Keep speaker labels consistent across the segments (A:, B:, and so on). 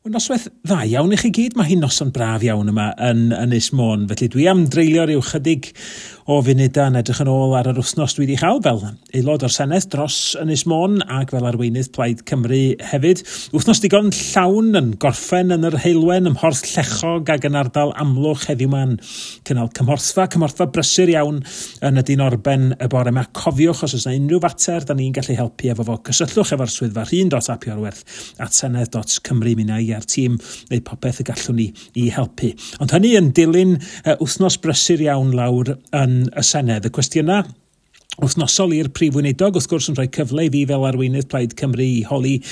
A: Wel, noswaith dda iawn i chi gyd. Mae hi'n noson braf iawn yma yn Ynys Môn. Felly dwi am dreulio rhyw chydig o funudau yn edrych yn ôl ar yr wythnos dwi wedi chael fel aelod o'r Senedd dros Ynys Môn ac fel arweinydd Plaid Cymru hefyd. Wythnos digon llawn yn gorffen yn yr Heulwen, ym Mhorth Llechog ac yn ardal Amlwch heddiw ma'n cynnal cymhorthfa brysur iawn yn y Dinorben y bore yma. Cofiwch os oes yna unrhyw fater da ni'n gallu helpu efo fo, cysylltwch efo'r swyddfa rhun.apiorwerth@senedd.cymru. Mi wna i a'r tîm neu popeth y gallwn ni i helpu. Ond hynny yn dilyn wythnos brysur iawn lawr yn y Senedd. Y cwestiynau wythnosol i'r Prif Weinidog, wrth gwrs, yn rhoi cyfle i fi fel arweinydd Plaid Cymru i holi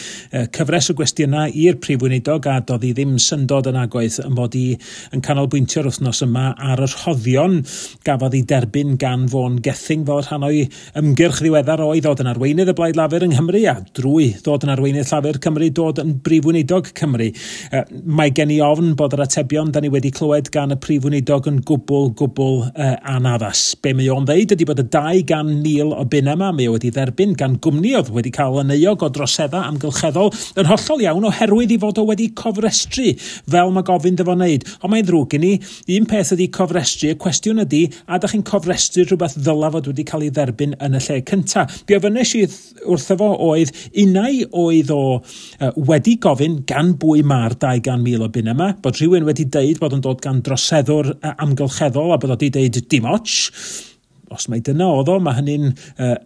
A: cyfres o gwestiynau i'r Prif Weinidog, a doedd hi ddim syndod yn agoedd yn bod i yn canolbwyntio'r wythnos yma ar y rhoddion gafodd ei derbyn gan Vaughan Gething fel rhan o'i ymgyrch ddiweddar o'i ddod yn arweinydd y Blaid Lafur yng Nghymru a drwy ddod yn arweinydd Llafur Cymru dod yn Brif Weinidog Cymru. Mae gen i ofn bod yr atebion da ni wedi clywed gan y Prif Weinidog yn gwbl, gwbl anaddas. Be mae o'n ddeud ydy bod y 200,000 o bunna yma mae o wedi dderbyn gan gwmni oedd wedi cael yn euog o droseddau amgylcheddol yn hollol iawn oherwydd i fod o wedi cofrestru fel mae gofyn iddo fo wneud. Ond mae'n ddrwg gen i, un peth ydy cofrestru, y cwestiwn ydy, a da chi'n cofrestru rhywbeth ddyla fod wedi cael ei dderbyn yn y lle cynta? Be ofynnes i wrtho fo oedd, unai oedd o wedi gofyn gan bwy mae'r 200,000 o bunna yma, bod rhywun wedi deud bod yn dod gan droseddwr amgylcheddol a bod o wedi deud dim ots. Os mai dyna oedd o, mae hynny'n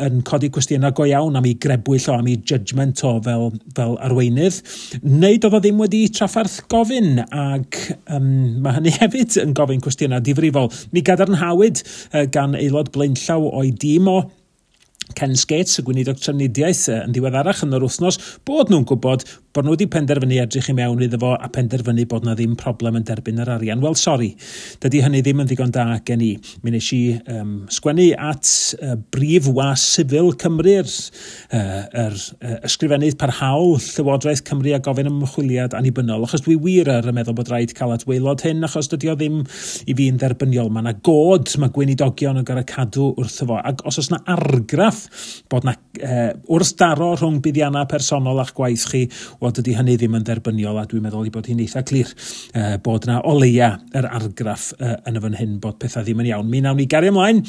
A: yn codi cwestiynau go iawn am ei grebwyll o, am ei judgment o fel arweinydd. Neu doedd o ddim wedi trafferth gofyn, ac mae hynny hefyd yn gofyn cwestiynau difrifol. Mi gadarnhawyd gan aelod blaenllaw o'i dîm o, Ken Skates, y gweinidog trafnidiaeth, yn ddiweddarach yn yr wythnos, bod nhw'n gwybod bod nhw wedi penderfynu edrych i mewn iddo fo a penderfynu bod na ddim problem yn derbyn yr arian. Wel, sori, dydy hynny ddim yn ddigon da gen i. Mi wnes i sgwennu at brif was sifil Cymru'r ysgrifennydd parhaol Llywodraeth Cymru a gofyn am ymchwiliad annibynnol, achos dwi wir ar y meddwl bod rhaid cael at waelod hyn, achos dydy o ddim i fi'n dderbyniol. Mae yna god, mae gweinidogion yn gorfod cadw wrtho fo, ac os oes yna argraff bod yna wrthdaro rhwng buddiannau personol a'ch gwaith chi, wel, dydy hynny ddim yn dderbyniol, a dwi'n meddwl ei bod hi'n eitha clir bod yna o leia yr argraff yn y fan hyn bod pethau ddim yn iawn. Mi nawn ni gario ymlaen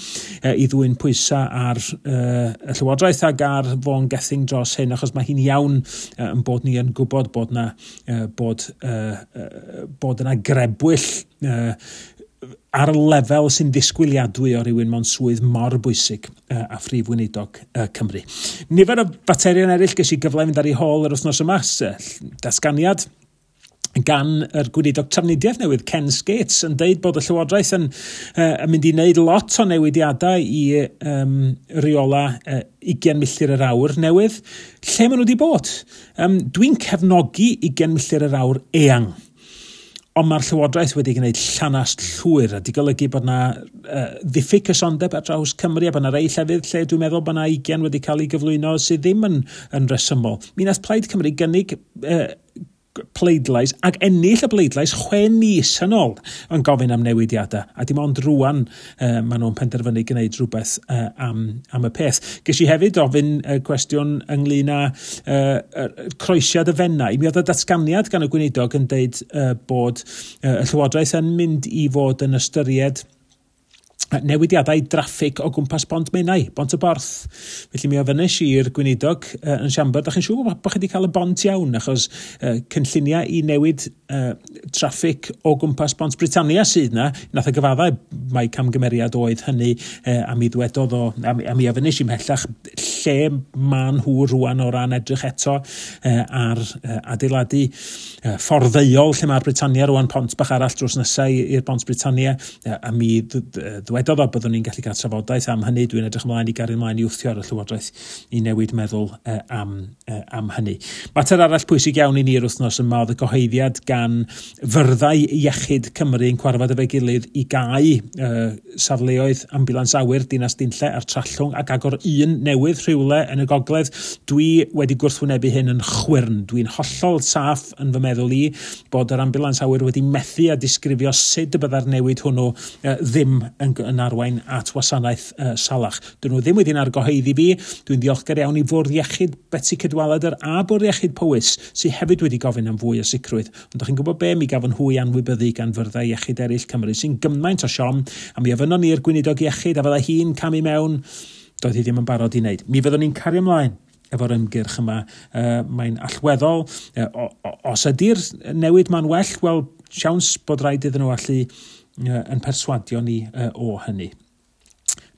A: i ddwyn pwysau ar y Llywodraeth ac ar Vaughan Gething dros hyn, achos mae hi'n iawn yn bod ni yn gwybod bod yna bod yna grebwyll ar y lefel sy'n ddisgwyliadwy o rywun mewn swydd mor bwysig a Phrif Weinidog Cymru. Nifer o faterion eraill ges i gyfle i fynd ar ei hôl yr wythnos yma, datganiad gan yr gweinidog trafnidiaeth newydd, Ken Skates, yn deud bod y Llywodraeth yn mynd i wneud lot o newidiadau i reola 20 milltir yr awr newydd. Lle maen nhw wedi bod? Dwi'n cefnogi 20 milltir yr awr eang. Ond mae'r Llywodraeth wedi gwneud llanast llwyr a di golygu bod yna ddiffyg cysondeb ar draws Cymru a bod yna rei llefydd lle dwi'n meddwl bod yna 20 wedi cael ei gyflwyno sydd ddim yn resymol. Mi nath Plaid Cymru gynnig pleidlais ac ennill y bleidlais 6 mis yn ôl yn gofyn am newidiadau, a dim ond rwan maen nhw'n penderfynu gwneud rhywbeth am y peth. Ges i hefyd ofyn cwestiwn ynglyn â croesiad y Fenai. Mi oedd y datganiad gan y gweinidog yn deud bod y Llywodraeth yn mynd i fod yn ystyried newidiadau draffig o gwmpas Bont Menai, Bont y Borth. Felly mi ofynnes i'r gweinidog yn siambr, da chi'n siŵr bod chi wedi cael y bont iawn, achos cynlluniau i newid traffig o gwmpas Bont Britannia sydd na, nath y gyfaddau mai camgymeriad oedd hynny, a mi ddwedodd o, a mi ofynnes i mhellach lle maen nhw rwan o ran edrych eto ar adeiladu ffordd ddeuol lle mae'r Britannia rwan, pont bach arall drws nesau i'r Bont Britannia, a mi ddwedodd o byddwn ni'n gallu cael trafodaeth am hynny. Dwi'n edrych ymlaen i gario ymlaen i wthio ar y Llywodraeth i newid meddwl am hynny. Mater arall pwysig iawn i ni'r wythnos yma oedd y cyhoeddiad gan fyrddau iechyd Cymru yn cwarfod efo'i gilydd i gau safleoedd ambiwlans awyr Dinas Dinlle a'r Trallwng ac agor un newydd rhywle rhywle yn y gogledd. Dwi wedi gwrthwynebu hyn yn chwyrn. Dwi'n hollol saff yn fy meddwl i bod yr ambulans awyr wedi methu a disgrifio sut y byddai'r newid hwnnw ddim yn arwain at wasanaeth salach. Dyn nhw ddim wedi'n argyhoeddi fi. Dwi'n ddiolchgar iawn i Fwrdd Iechyd Betsi Cadwaladr a Bwrdd Iechyd Powys sydd hefyd wedi gofyn am fwy o sicrwydd. Ond dach chi'n gwybod be? Mi gafon hwy anwybyddu gan fyrddau iechyd eraill Cymru sy'n gymaint o siom, a mi ofynnon ni'r gweinidog iechyd a fydda hi'n camu mewn. Doedd hi ddim yn barod i wneud. Mi fyddwn ni'n cario ymlaen efo'r ymgyrch yma. Mae'n allweddol. Os ydy'r newid ma'n well, wel, siawns bod rhaid iddyn nhw allu yn perswadio ni o hynny.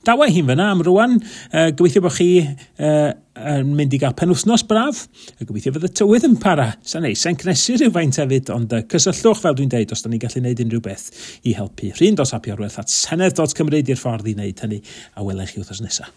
A: Dawa hi'n fyna am rwan. Gobeithio bod chi yn mynd i gael penwythnos braf. A gobeithio fydd y tywydd yn para. Sa'n neis, sa'n cnesu rhywfaint hefyd, ond cysylltwch fel dwi'n deud os da ni'n gallu gwneud unrhyw beth i helpu. Rhun.apiorwerth@senedd.cymru di'r ffordd i wneud hynny, a welai chi wythnos nesaf.